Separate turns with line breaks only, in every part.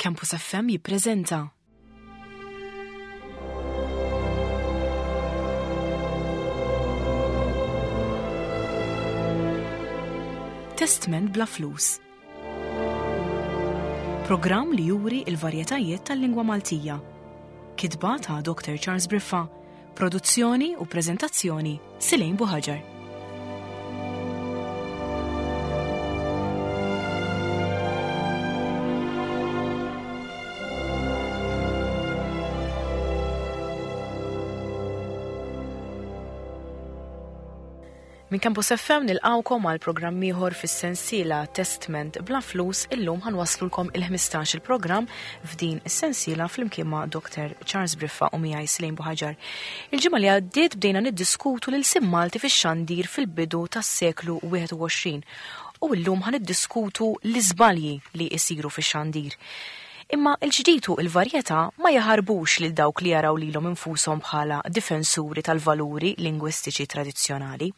Campus FM jippreżenta. Testment bla flus. Programm li juri il-varjetajiet tal-lingwa Maltija. Kitba ta' Dr. Charles Briffa, produzzjoni u preżentazzjoni Silejn Buħaġar. Minn Campus FM nilqawkom għal programm ieħor fis-sensiela Testment bla flus illum ħanwaslulkom il-15 il-programm f'din is-sensiela flimkien ma' Dr. Charles Briffa u miegħi Slejn Buħaġar. Il-ġimgħa li għaddiet bdejna niddiskutu l-ilsien Malti fix-xandir fil-bidu tas-seklu 21 u llum ħa niddiskutu l-iżbalji li jsiru fix-xandir. Imma l-ġdid u l-varjetà ma jaħarbux lil dawk li jaraw lilhom infushom bħala difensuri tal-valuri lingwistiċi tradizzjonali.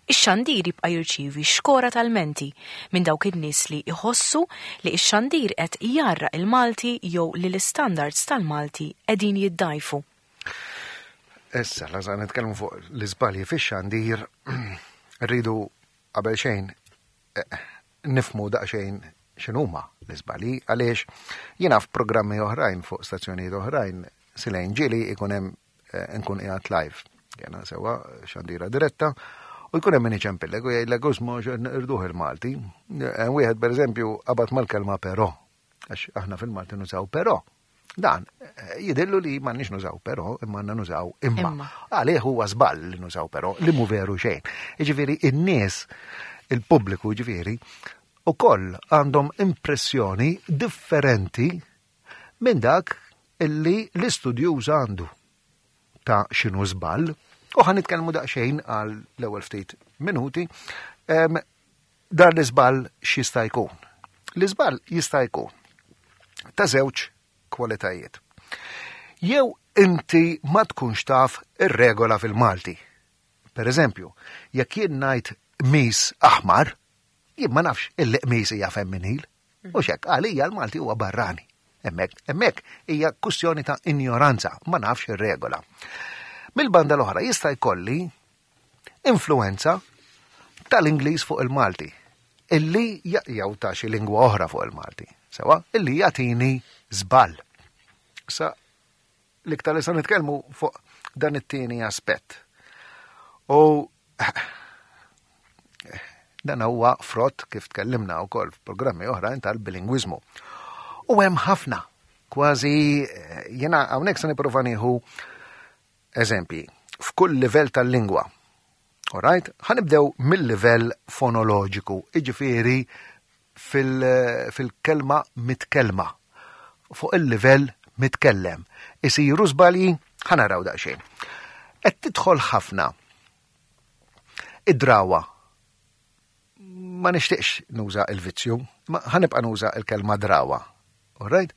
Ix-xandir jibqa' jirċievi xkora ta' lmenti minn dawk in-nies li jħossu li x-xandir qed jgħarraq il-Malti jew li l-istandards tal-Malti qegħdin jiddgħajfu.
Issa, la nitkellmu fuq l-iżbalji fix-xandir, rridu qabel xejn eh, nifmu daqsxejn x'inhuma l-iżbalji għaliex jiena f'programmi oħrajn fuq stazzjonijiet oħrajn silejn ġieli ikun hemm eh, nkun qiegħed live. Jena sewa xandira diretta u jkun hemm min iċempillek u jgħidlek usma irduh il-Malti. Eh, wieħed pereżempju qabad mal-kelma però għax aħna fil-Malti nużaw però. Dan, eh, jidillu li m'għandniex nużaw però, imma għandna nużaw imma. Għalih huwa żball li nużaw però, li mu veru xejn. Jiġifieri in-nies, il-pubbliku jiġifieri, ukoll għandhom impressjoni differenti minn dak illi l-istudjuż għandu ta' x'inhu żball. U ħa nitkellmu daqsxejn għal l-ewwel ftit minuti Dan l-iżball x'jista' jkun? L-iżball jista' jkun ta' żewġ kwalitajiet. Jew inti ma tkunx taf ir-regola fil-Malti. Per eżempju, jekk jien ngħid qmis aħmar, jien ma nafx illi qmis hija femminil. U xek, għalija l-Malti huwa barrani. Hemmhekk, hemmhekk hija kwistjoni ta' injoranza, ma nafx ir-regola. Mill-banda l-oħra jista' jkolli influwenza tal-Ingliż fuq il-Malti illi jew ta' xi lingwa oħra fuq il-Malti. Sewa, illi jagħtini żball. Sa l-iktar li sa nitkellmu fuq dan it-tieni aspett. U dan huwa frott kif tkellimna wkoll f'programmi oħrajn tal-bilingwiżmu. U hemm ħafna, kważi eh, jiena hawnhekk se nipprova nieħu Eżempji, f'kull livell tal-lingwa. Alright? Ħa nibdew mill-livell fonoloġiku, jiġifieri fil-kelma mitkellma. Fuq il-livell mitkellem. Isiru żbalji, ħa naraw daqsxejn. Qed tidħol ħafna id-drawa. Ma nixtieqx nuża il-vizzju, ma ħanibqa' nuża il-kelma drawa. Alright?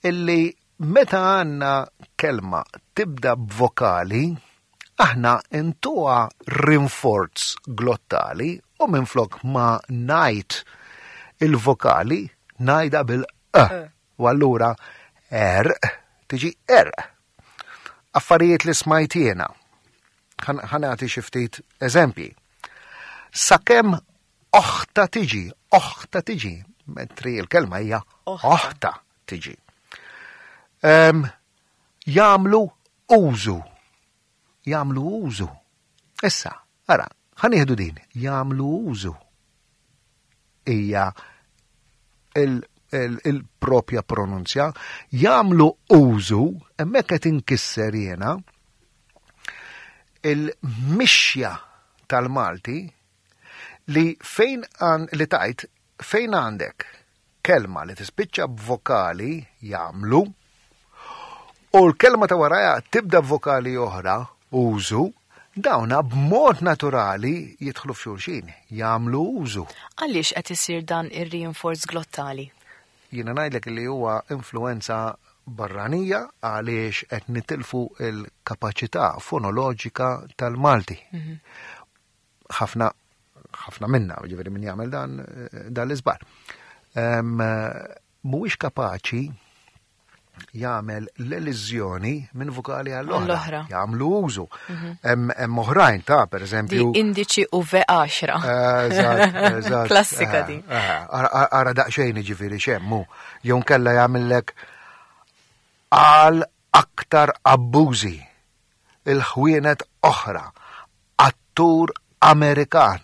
Illi Meta għandna kelma tibda b'vokali, aħna ntuha rinforz glottali u minflok ma ngħid il-vokali ngħidha bil-q. U allura erq tiġi erq. Affarijiet li smajt jiena. Ħa nagħti xi ftit eżempji. Sakemm oħta tiġi, oħta tiġi, mentri l-kelma hija oħta tiġi. Um, jagħmlu użu. Jagħmlu użu. Issa, ara, ħanieħdu din, jagħmlu użu. Hija il-propja il pronunzja, jagħmlu użu, hemmhekk qed inkisser jiena il-mixja tal-Malti li fejn li tajt fejn għandek kelma li tispiċċa b'vokali jagħmlu u l-kelma ta' warajha tibda b'vokali oħra użu, dawna b'mod naturali jidħlu f'xulxin, jagħmlu użu.
Għaliex qed isir dan ir-reinforce glottali?
Jiena ngħidlek li huwa influenza barranija għaliex qed nitilfu l-kapaċità fonoloġika tal-Malti. Mhm. ħafna ħafna minna, ġifieri min jagħmel dan dan l-iżbar. Mhuwiex kapaċi jagħmel l-eliżjoni minn vokali għall-oħra. Jagħmlu użu. Mhm. Hemm oħrajn ta' pereżempju.
Di indiċi u V10.
Eżatt,
Klassika
eh,
di.
Eh, ara daqsxejn jiġifieri xemmu. Jew nkella jagħmellek għal aktar abbużi il-ħwienet oħra, attur Amerikan.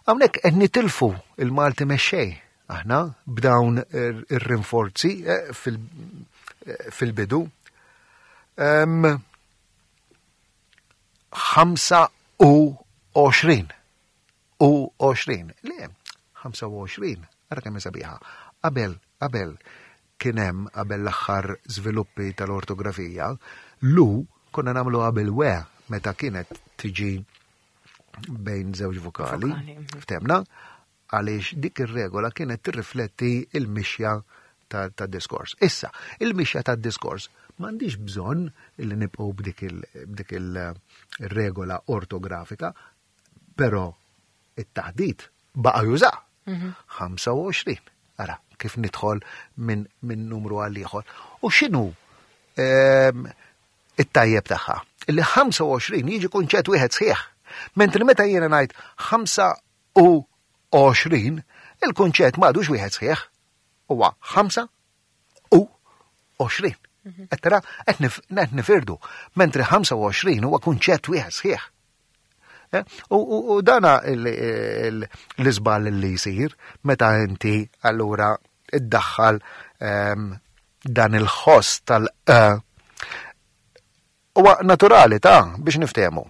Hawnhekk qed nitilfu il-Malti mexxej aħna b'dawn ir-rinforzi eh, eh, fil-bidu. 25 u 20. Le, 25, ara kemm sabiħa. Qabel, qabel kien hemm qabel l-aħħar żviluppi tal-ortografija, lu konna nagħmlu qabel we meta kienet tiġi bejn żewġ vokali, mhm. ftemna, għaliex dik ir-regola kienet tirrifletti il-mixja ta' diskors. Issa, il-mixja ta' diskors m'għandix bżonn li nibqgħu b'dik il-regola ortografika, però it-taħdit baqa' juża. 25. Mhm. Ara, kif nidħol minn min numru għal ieħor. U x'inhu ehm, it-tajjeb tagħha? Illi 25 jiġi kunċett wieħed sħiħ. Mentri meta jiena ngħid 25, il-kunċett m'għadux wieħed sħiħ. Huwa 25. Mhm. Qed tara qed nifirdu, mentri 25 huwa kunċett wieħed sħiħ. Eh? U dana l-iżball li jsir meta inti allura iddaħħal ehm, dan il-ħoss tal-e huwa naturali ta' biex niftehmu.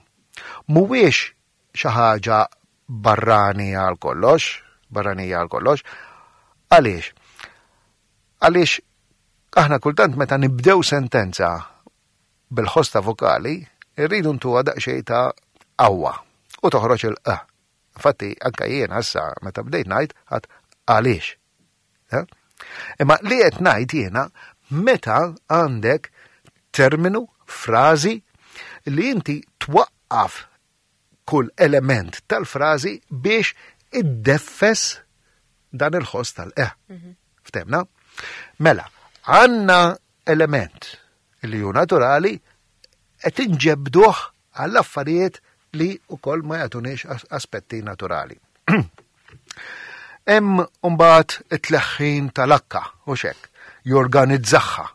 Mhuwiex xi ħaġa barrani għal kollox, barranija għal kollox. Għaliex? Għaliex aħna kultant meta nibdew sentenza bil-ħoss ta' vokali, irridu ntuha daqsxejn ta' qawwa u toħroġ il-q. Infatti, anka jiena issa meta bdejt ngħid għad għaliex. Eh? Imma li qed ngħid jiena meta għandek terminu, frażi li inti twaqqaf kull element tal-frażi biex iddeffes dan il-ħoss tal-e. Mhm. Ftemna? Mela, għanna element li hu naturali qed inġebduh għall affarijiet li wkoll ma jagħtuniex aspetti naturali. Hemm mbagħad it-tleħħin tal-akka u xek, jorganizzaħħa.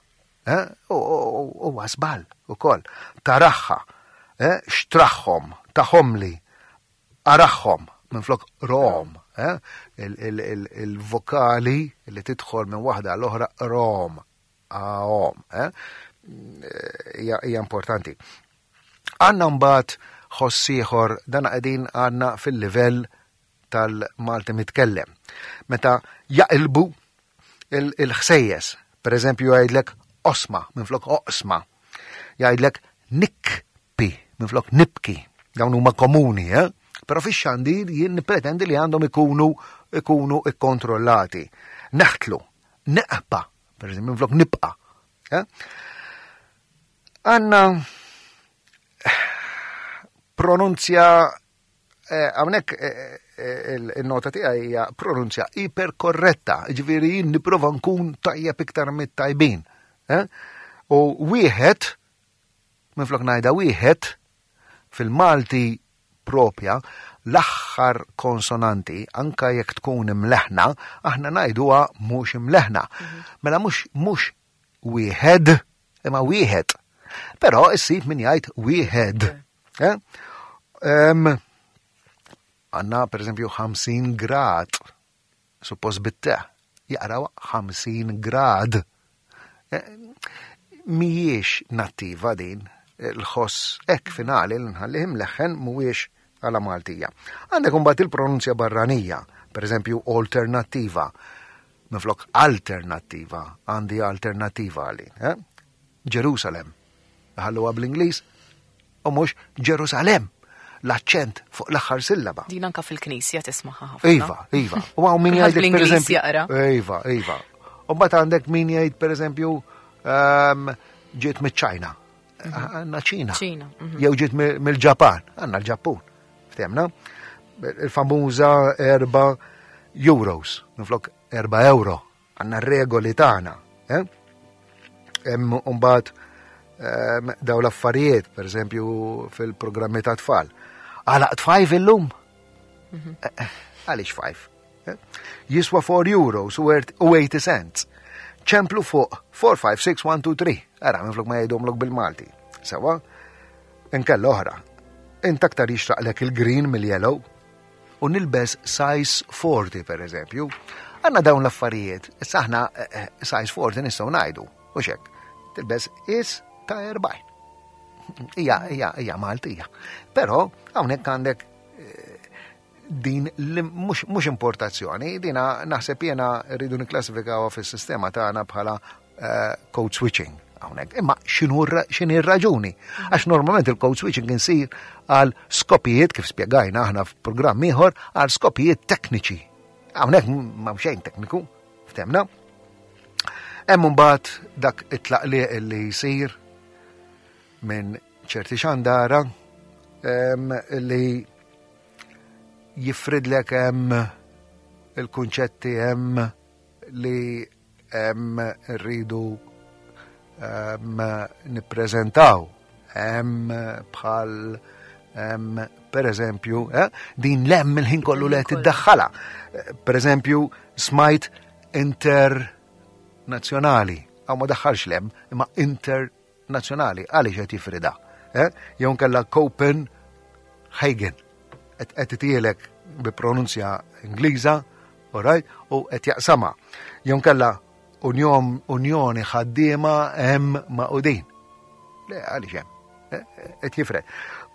Eh? U żball ukoll. Taraħħa, eh? xtraħħom, taħomli, araħħom minflok rom, eh? il-vokali li tidħol minn waħda l-oħra rom, għom, eh? hija importanti. Għanna mbagħad ħoss ieħor dan qegħdin għandna fil-livell tal-Malti mitkellem. Meta jaqilbu il-ħsejjes, per eżempju jgħidlek osma minflok oqsma, jgħidlek nikpi minflok nibki, dawn huma komuni, eh? Però fix-xandir jien nippretendi li għandhom ikunu ikunu ikkontrollati. Neħtlu, neqpa, per eżempju minflok nibqa. Eh? Għanna pronunzja eh, hawnhekk eh, eh, il-nota tiegħi hija pronunzja iperkorretta, ġifieri jien nipprova nkun tajjeb iktar mit-tajbin. U wieħed minflok ngħidha wieħed fil-Malti propja l-aħħar konsonanti anka jekk tkun imleħna, aħna ngħiduha mhux imleħna. Mhm. Mela mhux mhux wieħed imma wieħed. Però issib min jgħid wieħed. Eh? Għanna per eżempju 50 grad, suppost bitte, jaqraw 50 grad. Eh, Mijiex nattiva din, il-ħoss ek finali li nħallih imleħħen mhuwiex għala Maltija. Għandek imbagħad il-pronunzja barranija, per eżempju alternattiva, minflok alternattiva, għandi alternattiva għalin. Eh? Ġerusalem. Ħalluha bl-Ingliż u mhux Ġerusalem. L-aċċent fuq l-aħħar sillaba.
Din anka fil-knisja tismaħħa ħafna.
Iva, iva. U hawn min jgħidlek pereżempju. Iva, iva. U mbagħad għandek min jgħid pereżempju ehm, ġiet miċ-Ċajna. Mhm. Għandna ċina.
Ċina.
Mhm. Jew ġiet mill-Ġapan, għandna l-Ġappun. Ftemna? Il-famuża erba' euros, minflok erba' euro. Għandna regoli tagħna. Eh? Hemm mbagħad ehm, daw l-affarijiet, per eżempju fil-programmi ta' tfal. Għalaqt five illum? Mhm. Eh, eh, għaliex five? Eh? Jiswa 4 euros u 80 cents. ċemplu fuq 4, 5, 6, 1, 2, 3. Ara, minflok ma jgħidhomlok bil-Malti. Sewa, inkella oħra. Int aktar jixraqlek il-green mill-yellow u nilbes size 40 per eżempju. Għanna dawn l-affarijiet, issa aħna eh, eh, size 40 nistgħu ngħidu, u xek, tilbes is ta' 40. Ija, ija, ija Maltija. Però hawnhekk għandek eh, din mhux importazzjoni, dina naħseb jiena rridu nikklassifikawha fis-sistema tagħna bħala eh, code switching hawnhekk. Imma x'inhi r-raġuni? Għax normalment il-code switching insir għal skopijiet kif spjegajna aħna f'programm ieħor għal skopijiet tekniċi. Hawnhekk ma xejn tekniku, ftemna. Hemm imbagħad dak it-tlaqliq li jsir minn ċerti xandara li jifridlek hemm il-kunċetti hemm li hemm rridu nippreżentaw hemm bħal per eżempju, eh, din lem il-ħin kollu li qed tiddaħħalha. Per eżempju, smajt internazzjonali, għaw ma daħħalx lem, imma inter nazzjonali għaliex qed jifrida. Eh? Jew nkella Copenhagen. Qed itielek bi pronunzja Ingliża, alright, u qed jaqsama. Jew nkella unjoni ħaddiema hemm maqudin. Le għaliex hemm. Eh, qed jifred.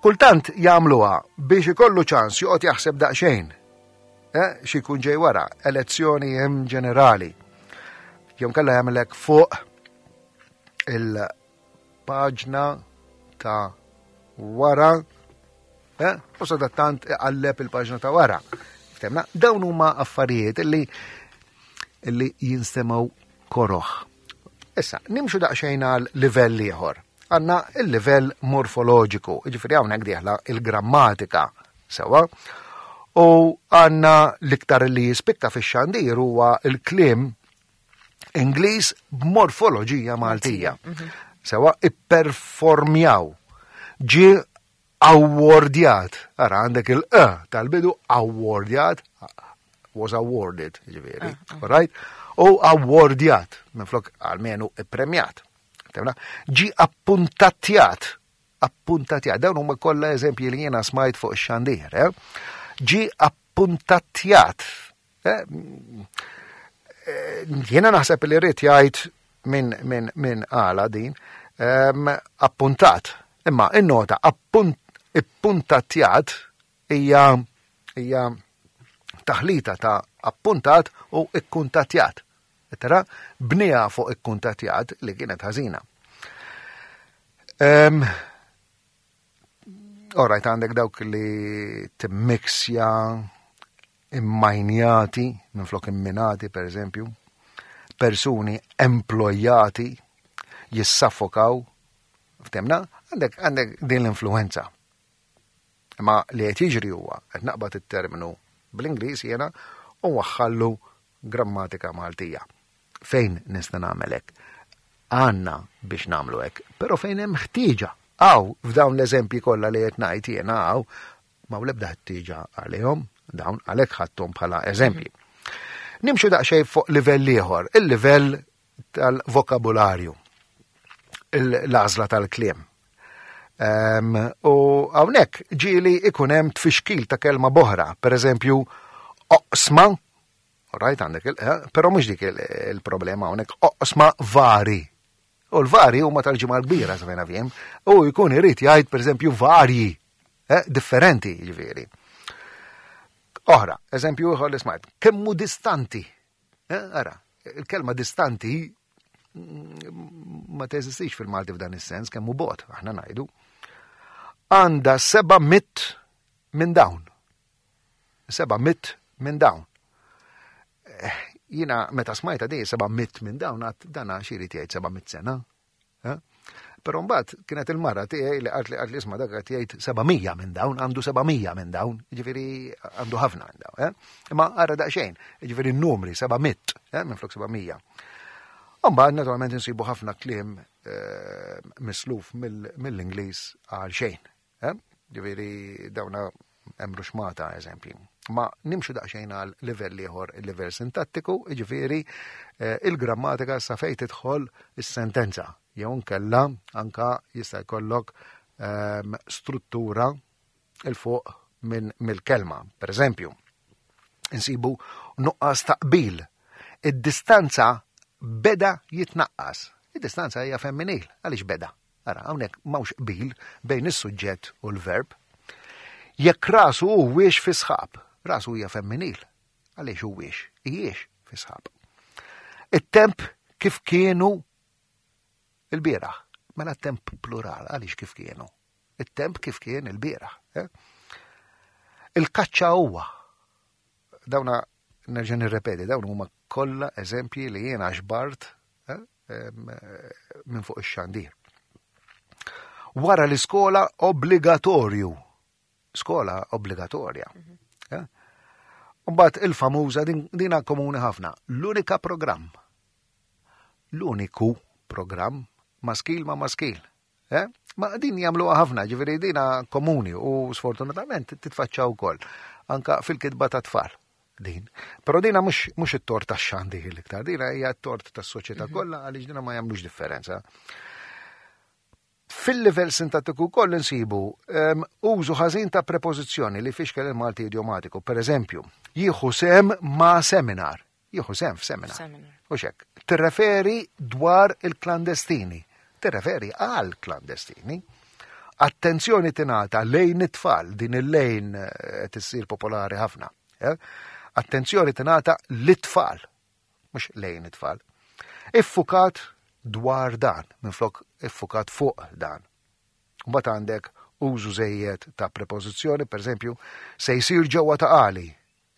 Kultant jagħmluha biex ikollu ċans joqgħod jaħseb daqsxejn. Eh, xi jkun ġej wara, elezzjoni hemm ġenerali. Jew nkella jagħmlek fuq il-paġna ta' wara, eh? u sadattant iqalleb il-paġna ta' wara. Ftemna, dawn huma affarijiet illi illi jinstemaw koroħ. Issa, nimxu daqsxejn għal livell ieħor. Għandna il-livell morfoloġiku, ġifieri hawnhekk dieħla il-grammatika sewa. U għandna l-iktar li jispikka fix-xandir huwa il-kliem Ingliż b'morfoloġija Maltija. Mhm. Sewa ipperformjaw. Ġie awwardjat. Ara għandek il-e tal-bidu awwardjat was awarded, ġifieri. Ah, ah. Right? U awwardjat, minflok għalmenu ippremjat. Ġi appuntatjat, appuntatjat, dawn huma kollha eżempji li jiena smajt fuq ix-xandir, eh? Ġi appuntatjat, Eh, eh, jiena naħseb li rrid jgħid minn min, min għala din ehm, appuntat. Imma in-nota ippuntatjat hija hija taħlita ta' appuntat u ikkuntatjat. Tara, bnija fuq ikkuntatjat li kienet ħażina. Um, Alright, għandek dawk li timmixja immajnjati, minflok imminati, per eżempju, persuni emplojati jissaffokaw, ftemna, għandek għandek din l-influenza. Ma li qed jiġri huwa qed naqbad it-terminu bl-Ingliż jiena u waħħallu grammatika Maltija. Fejn nista' nagħmel hekk? Għandna biex nagħmlu hekk, però fejn hemm ħtieġa. Hawn f'dawn l-eżempji kollha li qed ngħid jiena hawn ma l-ebda ħtieġa għalihom, dawn għalhekk ħadthom bħala eżempji. Nimxu daqsxejn fuq livell ieħor, il-livell tal-vokabularju, l-għażla tal-kliem. Um, u hawnhekk ġieli ikun hemm tfixkil ta' kelma boħra, per eżempju, oqsma, right, għandek, eh, però mhux dik il-problema hawnhekk, oqsma vari. U l-vari huma tal-ġimgħa l-kbira sa fejn fjem, u jkun irid jgħid pereżempju varji, eh, differenti ġifieri. Oħra, eżempju ieħor li smajt, kemmu distanti. Eh, ara, il-kelma distanti mm, ma teżistix fil-Malti f'dan is-sens, kemmu bot, aħna ngħidu. Għanda seba' mit minn dawn. Seba' mit minn dawn. Eh, jina meta smajta di seba' mit minn dawn għat dana xiri jgħid seba' mit sena. Eh? Però mbagħad kienet il-mara tiegħi li qalt li qalt li isma' dak qed jgħid 700 minn dawn, għandu 700 minn dawn, jiġifieri għandu ħafna minn dawn. Eh? Imma ara daqsxejn, jiġifieri n-numri 700, eh, minn flok 700. Mbagħad naturalment insibu ħafna kliem eh, misluf mill-Ingliż għal xejn. Eh? Ġifieri dawna hemm ruxmata eżempji. Ma nimxu daqsxejn għal livell ieħor, il-livell sintattiku, jiġifieri eh, il-grammatika sa fejn tidħol is-sentenza jew nkella anka jista' jkollok ehm, struttura il fuq minn mill-kelma. Per eżempju, insibu nuqqas ta' qbil. Id-distanza beda jitnaqqas. Id-distanza hija femminil, għaliex beda? Ara, hawnhekk m'hawnx qbil bejn is-suġġett u l-verb. Jekk rasu huwiex fi sħab, rasu hija femminil. Għaliex huwiex? Hijiex fi sħab. It-temp kif kienu il-bieraħ. Mela temp plural, għaliex kif kienu? It-temp kif kien il-bieraħ. Eh? Il-kaċċa huwa. Dawna nerġa' nirrepeti, dawn huma kollha eżempji li jiena xbart eh, minn fuq ix-xandir. Wara l-iskola obbligatorju. Skola obbligatorja. Mhm. Eh? Mbagħad il-famuża dina komuni ħafna. L-unika programm. L-uniku programm maskil ma maskil. Eh? Ma din jagħmluha ħafna, ġifieri dina komuni u sfortunatament titfaċċa wkoll anka fil-kitba ta' tfal din. Però dina mhux it-tort tax-xandir l-iktar, dina hija t-tort tas-soċjetà mhm. kollha għaliex dina ma jagħmlux differenza. Fil-livell sintattiku wkoll insibu um, użu ħażin ta' prepożizzjoni li fixkel il-Malti idiomatiku. Per eżempju, jieħu sem ma' seminar. Jieħu sehem f'seminar. U xek, tirreferi dwar il-klandestini. Tirreferi għal klandestini. Attenzjoni tingħata lejn it-tfal, din il-lejn eh, qed issir popolari ħafna. Eh? Attenzjoni tingħata lit-tfal, mhux lejn it-tfal. Iffukat dwar dan, minflok iffukat fuq dan. Mbagħad għandek użu żejjed ta' prepożizzjoni, pereżempju, se jsir ġewwa ta' għali,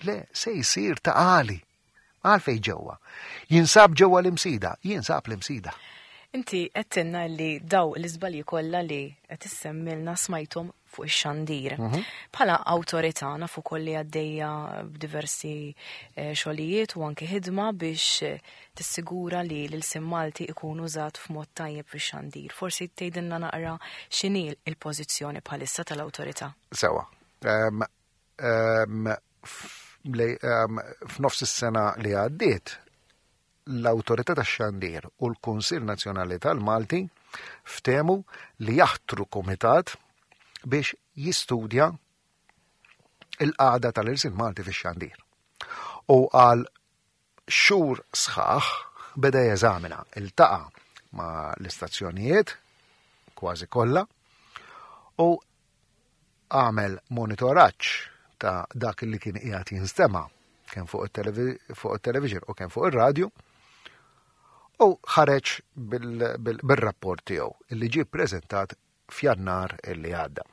Le, se jsir ta' għali. Għalfej ġewwa. Jinsab ġewwa l-imsida, jinsab l-imsida.
Inti għedtilna li daw l-iżbalji kollha li qed issemmilna smajthom fuq ix-xandir. Mhm. Bħala awtorità nafu ukoll li għaddejja b'diversi eh, xogħlijiet u anke ħidma biex eh, tissigura li l-ilsien Malti ikun użat f'mod tajjeb fix-xandir. Forsi tgħidilna naqra x'inhi l-pożizzjoni bħalissa tal-awtorità.
Sewa. Ehm, Ehm, ehm, f'nofs is-sena li għaddiet, l-Awtorità tax-Xandir u l-Kunsill Nazzjonali tal-Malti ftehmu li jaħtru kumitat biex jistudja il-qagħda tal-irsil Malti fix-xandir. U għal xhur sħaħ beda jeżamina, iltaqa' ma' l-istazzjonijiet kważi kollha u għamel monitoraġġ ta' dak li kien qiegħed jinstema' kemm fuq it-television u kemm fuq ir-radju u ħareġ bil-rapport tiegħu li ġie ppreżentat f'Jannar illi għadda.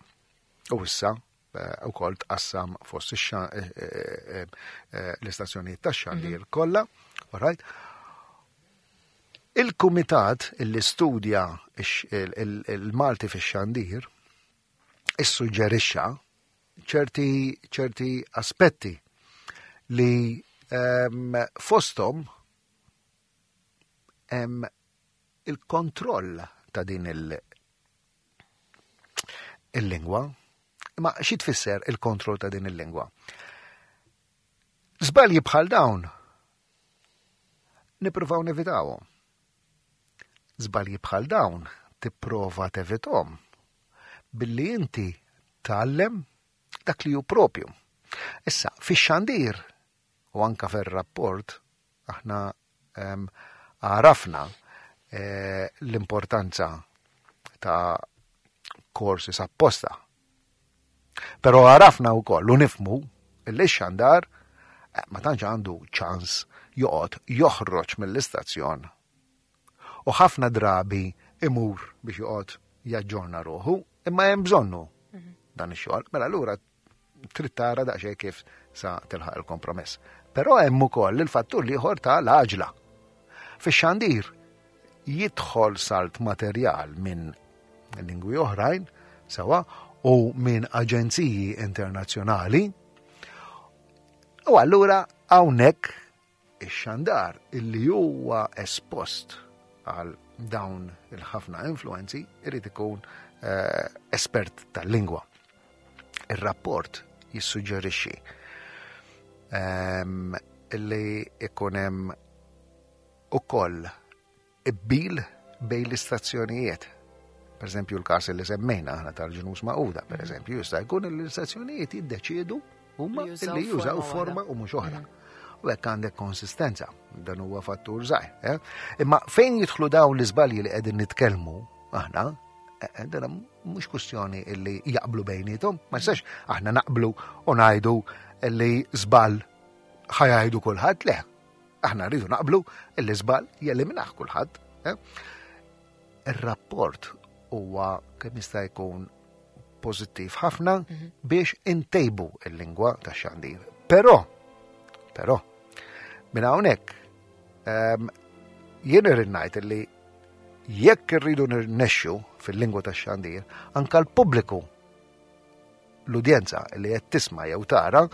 U issa eh, ukoll tqassam fost eh, eh, l-istazzjonijiet tax-xandir mhm. kollha, alright? Il-kumitat illi studja il-Malti fix-xandir issuġġerixxa ċerti ċerti aspetti li um, fosthom hemm il-kontroll ta' din il-lingwa. Ma xi tfisser il-kontroll ta' din il-lingwa? Żbalji bħal dawn nippruvaw nevitawhom. Żbalji bħal dawn tipprova tevithom billi inti tgħallem dak li hu propju. Issa, fix-xandir u anka fir-rapport aħna ehm, għarafna eh, l-importanza ta' korsi apposta. Però għarafna wkoll u nifmu li x-xandar eh, ma tantx għandu ċans joqgħod joħroġ mill-istazzjon u ħafna drabi imur biex joqgħod jaġġorna ruħu, imma hemm bżonnu mhm. dan ix-xogħol. Mela allura trid tara daqsxejn kif sa tilħaq il-kompromess. Però hemm ukoll il-fattur l-ieħor ta' l-għaġla. Fix-xandir jidħol salt materjal minn lingwi oħrajn, sewa, u minn aġenziji internazzjonali. U allura hawnhekk ix-xandar illi huwa espost għal dawn il-ħafna influenzi irid ikun eh, espert tal-lingwa. Ir-rapport jissuġġerixxi ehm, illi ikun hemm ukoll qbil bejn l-istazzjonijiet. Per eżempju, l-każ li semmejna aħna tal-ġnus maquda, per eżempju, jista' jkun li l-istazzjonijiet jiddeċiedu huma li jużaw forma u mhux oħra. U hekk għandek konsistenza, dan huwa fattur żgħir. Eh? Imma fejn jidħlu dawn l-iżbalji li qegħdin nitkellmu aħna, eh, eh, dan mhux kwistjoni illi jaqblu bejnietom, ma jistax aħna naqblu u ngħidu li żball ħajajdu kulħadd le. Aħna rridu naqblu illi żball jeliminaħ kulħadd. Eh? Ir-rapport huwa kemm jista' jkun pożittiv ħafna mhm. biex intejbu il-lingwa ta' xandir. Però, però, minn hawnhekk ehm, jien irrid ngħid li jekk irridu nirnexxu fil-lingwa ta' xandir, anka l-pubbliku l-udjenza li qed tisma' jew tara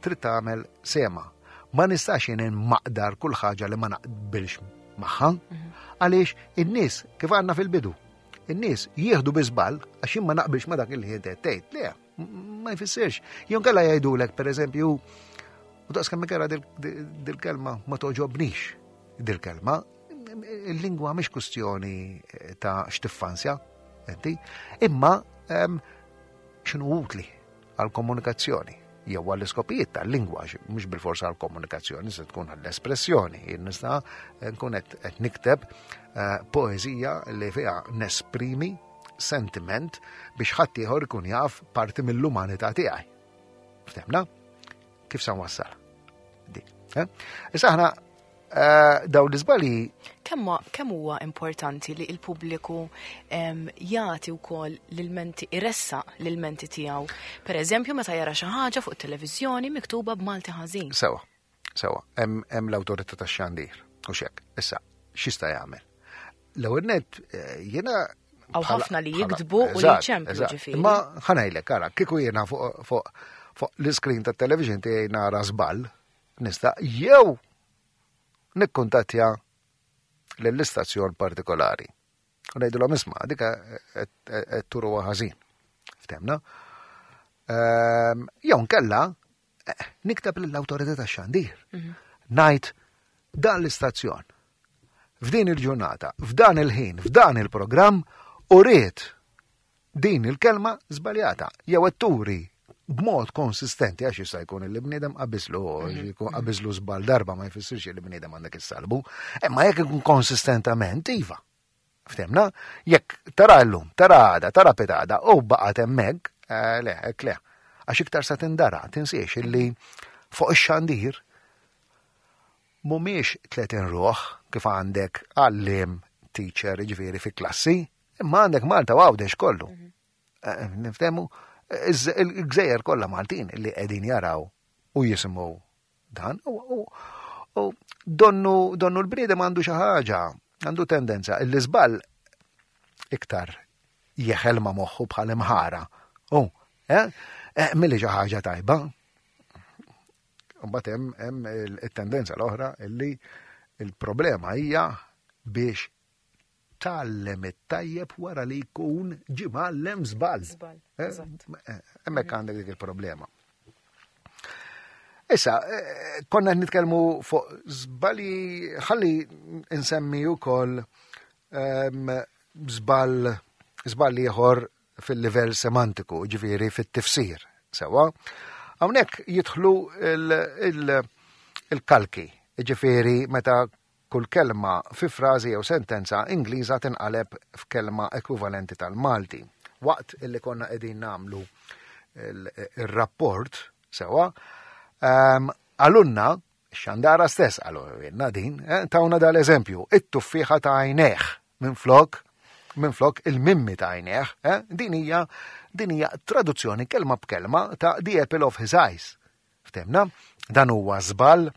trid tagħmel sema. Ma nistax jien maqdar kull ħaġa li ma naqbilx magħha, mhm. għaliex in-nies kif għandna fil-bidu, in-nies jieħdu bi żball għax jien ma naqbilx ma dak li qed tgħid. Le, ma jfissirx. Jew kellha jgħidulek pereżempju, u daqs kemm ikera dil-kelma ma toġobnix dil-kelma, il-lingwa mhix kwistjoni eh, ta' x'tiffansja, inti, imma ehm, x'inhu utli għall-komunikazzjoni jew għall-iskopijiet tal-lingwa, mhux bil-forsa għall-komunikazzjoni, se tkun għall-espressjoni. Jien nista' nkun qed nikteb eh, poeżija li fiha nesprimi sentiment biex ħadd ieħor ikun jaf parti mill-umanità tiegħi. Ftemna? Kif sa nwassal? Dik. Eh? Issa aħna eh, dawn l-iżbalji.
Kemm huwa importanti li l-pubbliku jagħti wkoll l-menti iressa l-menti tiegħu. Per eżempju, meta jara xi ħaġa fuq it-televiżjoni miktuba b'Malti ħażin.
Sewa, sewa, hemm l-awtorità tax-xandir u xek. Issa, x'jista' jagħmel? L-ewwel net eh, jiena
Għaw ħafna li jiktbu u li ċemplu ġifieri.
Ma ħanajlek, ara, kieku jiena fuq l-iskrin tat-television tiegħi nara żball, nista' jew nikkuntattja lill-istazzjon partikolari. U ngħidulhom isma' dik qed turuha ħażin. Ftemna? Ehm, jew nkella eh, nikteb lill-awtorità tax-xandir. Mhm. Ngħid dan l-istazzjon f'din il-ġurnata, f'dan il-ħin, f'dan il-programm u ried din il-kelma żbaljata jew qed turi b'mod konsistenti għax jista' jkun li bniedem qabiżlu mhm. jkun qabiżlu żball darba ma jfissirx li bniedem għandek issalbu, imma jekk ikun konsistentament iva. Ftemna, jekk tara llum, tara għada, tara pitada u baqgħet hemmhekk, eh, le, hekk le. Għax iktar sa tindara, tinsiex illi fuq ix-xandir mhumiex 30 ruħ kif għandek għallim teacher ġifieri fi klassi, imma għandek Malta u Għawdex kollu. Mhm. Eh, niftehmu, il-gżejjer kollha Maltin li qegħdin jaraw u jisimgħu dan u donnu donnu l-bniedem għandu xi ħaġa, għandu tendenza li żball iktar jeħel ma' moħħu bħal imħara. U, eh, eh milli xi ħaġa tajba. Mbagħad hemm hemm it-tendenza l-oħra illi il-problema hija biex tgħallem it-tajjeb wara li jkun ġie mgħallem żball.
Żball.
Eh, eh, hemmhekk mhm. għandek dik il-problema. Issa, eh, konna nitkellmu fuq żbalji ħalli nsemmi wkoll ehm, żball żball ieħor fil-livell semantiku, ġifieri fit-tifsir. Sewa, hawnhekk jidħlu il-kalki, ġifieri meta Kull kelma fi frażi jew sentenza Ingliża tinqaleb f'kelma ekwivalenti tal-Malti. Waqt illi konna qegħdin nagħmlu ir-rapport sewwa, ehm, qalulna xandara stess qalulna din, eh, tawna dal-eżempju, it-tuffieħa ta' għajnejh minflok minflok il-mimmi ta' għajnejh, eh, din hija din hija traduzzjoni kelma b'kelma ta' The Apple of His Eyes. Ftemna? Dan huwa żball.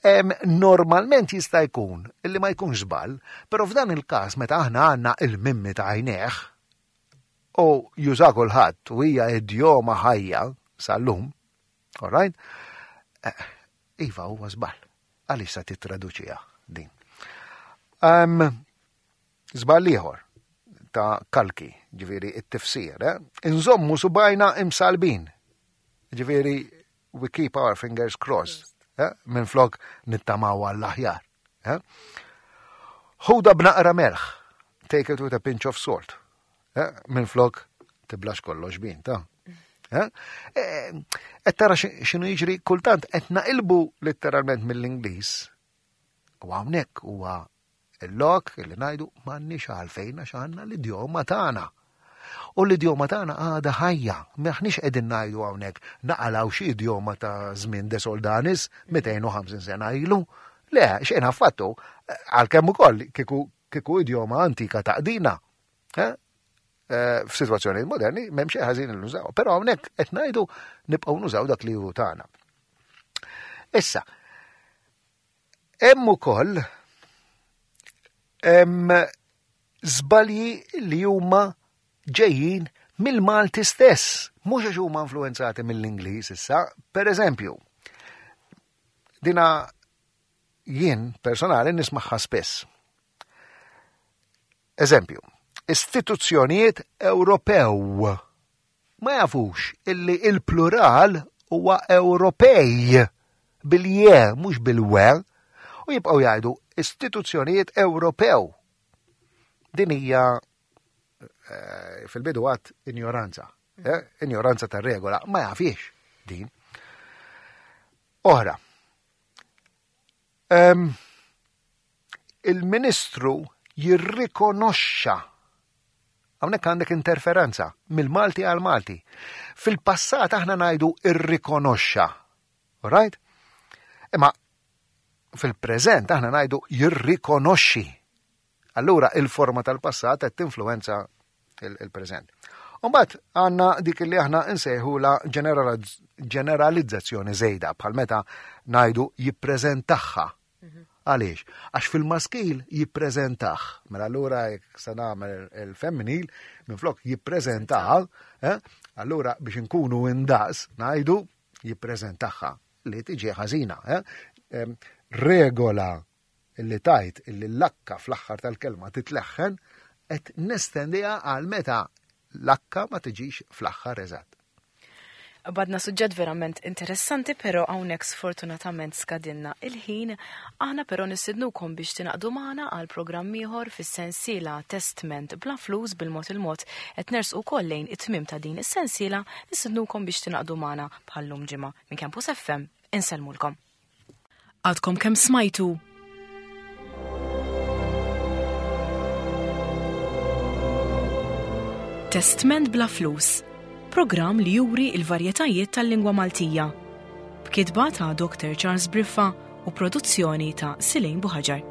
Normalment jista' jkun illi ma jkunx żball, però f'dan il-każ meta aħna għandna il-mimmi ta' għajnejh u juża kulħadd u hija idjoma ħajja sal-lum, all right? Eh, iva huwa żball. Għaliex sa tittraduċiha din? Um, żball ieħor ta' kalki, ġifieri it-tifsir, eh? Inżommu subajna imsalbin. Ġifieri we keep our fingers crossed, eh? minn flok nittamaw għall-aħjar. Eh? Ħuda b'naqra melħ, take it with a pinch of salt. Eh? Minn flok tiblax kollox bin, ta' Eh? eh qed tara x'inhu jiġri kultant qed naqilbu letteralment mill-Ingliż. U hawnhekk huwa Il-lok li ngħidu m'għandniex għalfejn għax għandna l-idjoma tagħna. U l-idjoma tagħna għadha ħajja, m'aħniex qegħdin ngħidu hawnhekk naqalgħu xi idjoma ta' żmien De Soldanis 250 sena ilu. Le, xejn affattu, għalkemm ukoll kieku kieku idjoma antika taqdina. Eh? Eh, f'sitwazzjoni moderni m'hemm xejn ħażin li nużaw, però hawnhekk qed ngħidu nibqgħu nużaw dak li hu tagħna. Issa, Hemm ukoll hemm żbalji li huma ġejjin mill-Malti stess, mhux għax huma influenzati mill-Ingliż issa, per eżempju, dina jien personali nismaħħa spiss. Eżempju, istituzzjonijiet Ewropew ma jafux illi il-plural huwa Ewropej bil-je mhux bil-we u jibqgħu jgħidu istituzzjonijiet Ewropew. Din hija eh, fil-bidu għat injoranza. Eh, injoranza tar regola ma jafiex din. Oħra. Il-Ministru jirrikonoxxa Hawnhekk għandek interferenza mill-Malti għal Malti. Fil-passat aħna ngħidu irrikonoxxa. Right? Imma fil-preżent aħna ngħidu jirrikonoxxi. Allura il-forma tal-passat qed tinfluwenza il-preżent. Umbagħad għandna dik li aħna nsejħula ġeneralizzazzjoni żejda bħal meta ngħidu jippreżentaħħa. Mhm. Għaliex? Għax fil-maskil jippreżentah. Mela allura jekk se nagħmel il-femminil minflok jippreżentaha, eh? allura biex inkunu indaqs ngħidu jippreżentaħħa li tiġi ħażina. Eh? Regola li tajt illi l-lakka fl-aħħar tal-kelma titleħħen qed nestendiha għal meta l-akka ma tiġix fl-aħħar eżatt.
Badna suġġett verament interessanti, pero hawnhekk sfortunatament skadinna il-ħin. Aħna però nistidnukom biex tingħaqdu magħna għal programm ieħor fis-sensiela Testment bla flus bil-mod il-mod qed nersqu wkoll lejn it-tmiem ta' din is-sensiela, nistidnukom biex tingħaqdu magħna bħal-lum ġimgħa minn Campus FM. Insellmulkom. Għadkom kemm smajtu Testment bla flus, programm li juri il-varjetajiet tal-lingwa Maltija. B'kitba ta' Dr. Charles Briffa u produzzjoni ta' Silejn Buħaġar.